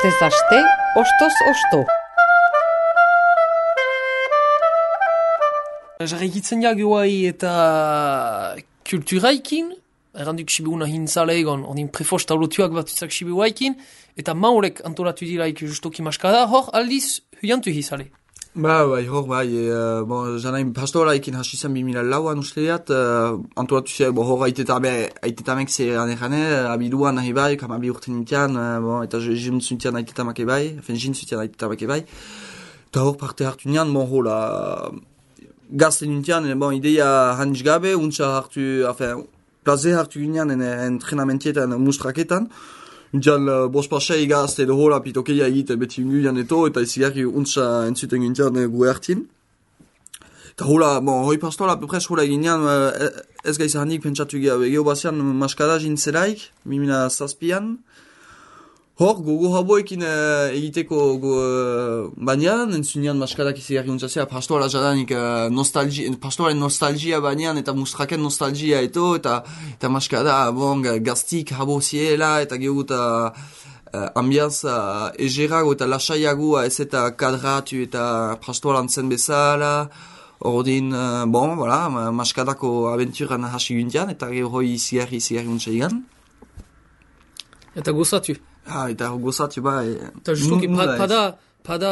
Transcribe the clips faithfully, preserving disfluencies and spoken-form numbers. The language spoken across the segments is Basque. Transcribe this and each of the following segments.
Astez aste, ostoz osto. Jarraikitzen jagoai eta kulturaikin, erranduk sibiguna hintzale egon, ordin prefosta olotuak batuzak sibiguaikin, eta maurek antolatu diraik justoki maskada, hor aldiz huiantu hizale. Ba, bai, hor, bai, e, bon, janain pastoraikin hasi zen bimila lauan usteat, uh, antolatu zen, bo, hor, aitetamek ze gane-gane, abiduan nahi bai, kamabi urten nintian, uh, bon, eta jim zuntian aitetamak ebai, efen jin zuntian aitetamak ebai, eta hor parte hartu nian, bon, hola, gazte nintian, bon, ideia hanitz gabe, untsa hartu, afen, plaze hartu ginean, en entrenamentetan, mustraketan, Untian, uh, bospasei gazte edo hola pitokeia egiten beti unguian eto, eta izigarri untsa entzuten gintian uh, gu ertin. Eta hola, bon, hoi pastola, pepres hola ginean, uh, ez gaiz handik pentsatu geho bazian maskada jintzelaik, mimina zazpian. Hor, gogo haboekin uh, egiteko go, uh, banean, entzunean maskadak izigarri untzazea, pastola jadanik uh, nostalgia, pastoaren nostalgia banean, eta mustraken nostalgia eto, eta, eta maskada, bon, gaztik habo ziela, eta geho eta uh, ambianza egerago eta lasaiagoa ez eta kadratu eta pastolan zen bezala, ordin, uh, bon, voilà, maskadako aventuran hasi gintian, eta geho hoi izigarri izigarri untzaigan. Eta gozatu. Ah, eta gozatu, bai. Eta justuki, pa, pada, pada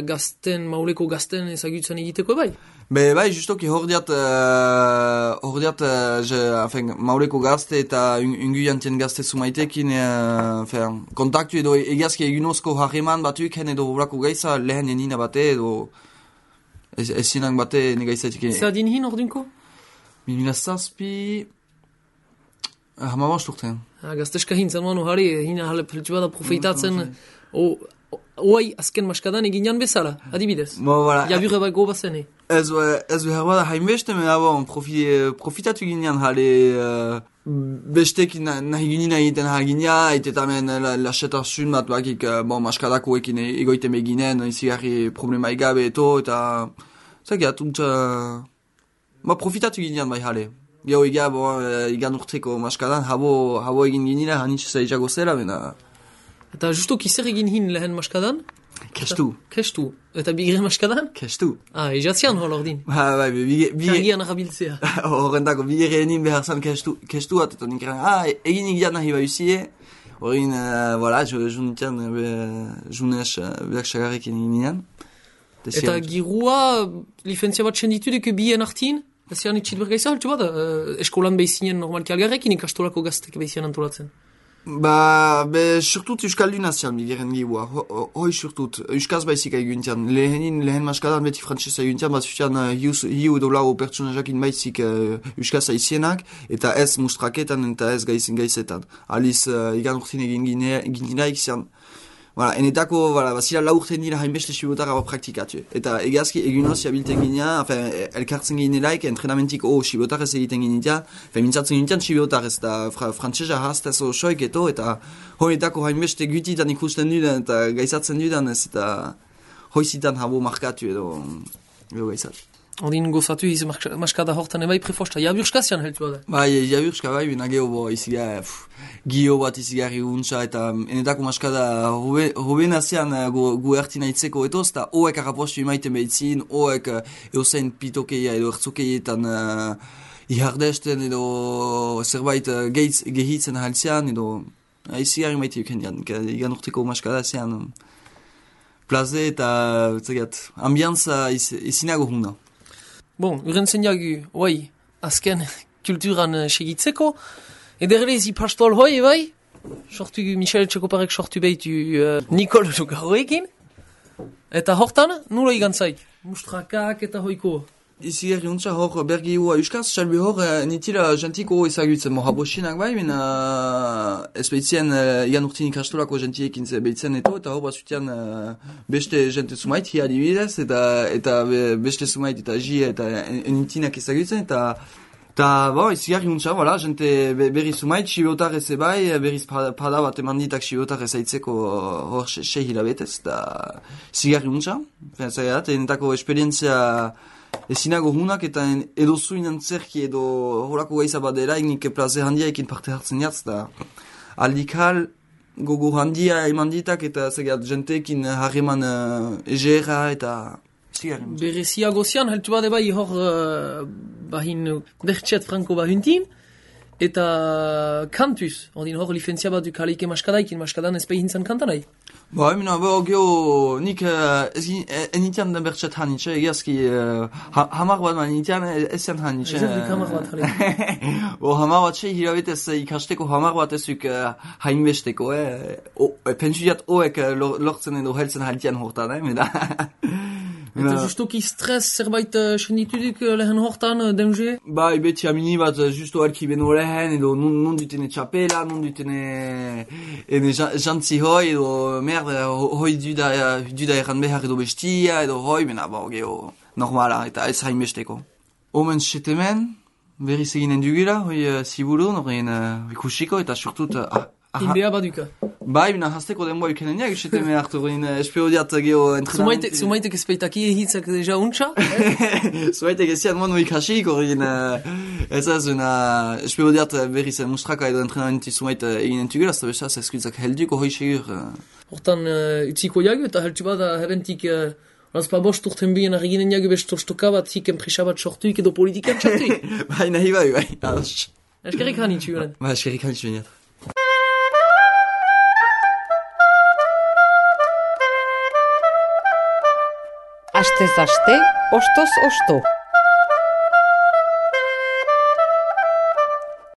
gazten, mauleko gazten ezagutzen egiteko bai? Be, bai, justuki hor diat, uh, hor diat, uh, je, afen, mauleko gazte eta ungu jantien gazte sumaitekin, uh, afen, kontaktu edo egiazki egunozko harreman batuken edo horako gaiza lehen enina bate edo ez, ez zinak bate negaizatik. Zer din hin ordinko? Mimila zazpi... Hamabost urtean. Ah, gazteska hin, zanuan ohari, hina hale peltu bada profeitatzen, oai azken maskadan eginan bezala, adibidez. Bo, voilà. Jabure bai goba zene. Ez, ez behar bada hainbeste, me bon, profi, profitatu ginean hale uh, bestek nahi ginina egiten hagina, eitetamen lasetasun bat bakik, uh, bon, maskadako ekin egoiten beginen, izigarri problema egabe eto, eta zagiat, untza, ba, profitatu ginean bai hale. Gero ega, bo, egan urteko maskadan, habo, habo egin ginila, hanitz zaizago zela, bena... Eta justo kizer egin hin lehen maskadan? Kestu. Kestu. Eta bigre maskadan? Kestu. Ah, ejatzian hor ordin. Ba, bai, bigre... Kargian arabiltzea. Horrentako, bigre enin behar zan kestu, kestu bat, eta nikaren, ah, egin egiat nahi bauzie, horrein, uh, voilà, junitian, junez, behar xagarrekin egin nian. Eta girua, lifentzia bat txenditudek bien artin? Ez zian itxit bergaiza, haltsu bat, uh, eskolan behizinen normalki algarrekin ikastolako gaztek behizian antolatzen. Ba, be, surtut euskalduna zian bigeren gibua, hoi surtut, euskaz baizik eguntian, lehenin, lehen maskadan beti frantzesa eguntian, bat zuzian uh, hiu edo lau pertsonajakin baizik uh, euskaz aizienak, eta ez mustraketan eta ez gaizin gaizetan. Aliz, uh, igan urtin egin ginaik zian, voilà, enetako, voilà, bazira lau urten dira hainbeste sibotarra bat praktikatu. Eta egazki egunoz jabilten ginean, enfin, elkartzen ginelaik, entrenamentik, oh, sibotarrez egiten ginean, mintzatzen ginean sibotarrez, eta fra, frantzesa hastez osoik eto, eta honetako hainbeste gutitan ikusten dudan, eta gaizatzen dudan, ez, eta hoizitan habo markatu edo, edo gaizat. Ondin gozatu hiz maskada hortan ebai prefosta, jaburskazian heltu da? Bai, jaburska bai, bina geho bo, iziga, gio bat izigarri untsa, eta enetako maskada hoben azian gu, gu ertina itzeko etoz, eta hoek arrapostu imaiten behitzin, hoek eusen pitokeia edo ertzukeietan uh, ihardesten edo zerbait uh, gehitz, gehitzen haltzean, edo uh, izigarri maite yuken dian, igan urteko maskada azian um, plaze eta, zegat, ambianza izinago huna. Bon, uren zen jagu, oi, azken kulturan uh, segitzeko, ederrezi pastol hoi, bai, sortu Michel Txekoparek sortu behitu uh, Nikol Lugarroekin, eta hortan, nulo igantzaik, mustrakak eta hoiko. Izigarri untsa hor bergi hua euskaz, salbi hor nitila jantiko ezagutzen mo habosinak bai, mena ez behitzen uh, igan urtin ikastolako jantiekin behitzen eto, eta hor bazutian uh, beste jante sumait, hi adibidez, eta, eta be, beste sumait eta ji eta nitinak ezagutzen, eta eta bo, izigarri untsa, voilà, jante be, berri sumait, sibotar ez ebai, berriz pada bat emanditak sibotar ezaitzeko hor se hilabetez, eta izigarri untsa, zaiat, enetako esperientzia ezinago hunak eta edo zuin antzerki edo horako gaiza badera, nik plaze handia ekin parte hartzen jatz, da aldikal gogo handia eman ditak eta zegat jentekin harreman uh, egera eta zigaren. Berezia gozian, heltu bade bai hor uh, bahin bertxet franko bahuntin, eta kantuz, ordin hor lifentzia bat du kaleike maskadaikin, maskadan ez behin zan kantanai. Ba, emina, bo, geho, nik uh, ezin, enitian den bertxet hanitxe, egiazki uh, ha, hamar bat man enitian ezian hanitxe. Ez duk hamar bat, jale. Bo, hamar bat xe, hilabetez ikasteko hamar bat ezuk uh, hainbesteko, eh? O, pentsu diat oek uh, lortzen edo heltzen haltian hortan, eh? Meda. Eta justoki stres zerbait uh, sendituduk uh, lehen hortan, uh, dengue? Ba, beti amini bat uh, justo elki beno lehen, edo non, non dutene txapela, non dutene ene jantzi hoi, edo merde, hoi duda, duda erran behar edo bestia, edo hoi, bena, bo, geho, normala, eta ez hainbesteko. Omen setemen, berriz eginen dugula, hoi uh, ziburu, norren uh, ikusiko, eta surtut, uh, Inbea baduka. Bai, bina hasteko denboa ikenen seteme hartu guen espero diat geho entrenamentu. Zumaitek ezpeitaki ehitzak deja untxa? Zumaitek ezian mono ikasik, horrein ez ez una espero diat berriz mustraka edo entrenamentu zumait eginen tugula, ez da besaz eskuitzak helduko hoi segur. Hortan utziko jagu eta heltu bada herentik Azpa bost urten bien eginen jagu bestorstoka bat ziken presa bat sortuik edo politikan txartuik. Bai, nahi bai, bai. Eskerrik hanitzu garen. Bai, eskerrik hanitzu garen. Astez aste, ostoz osto.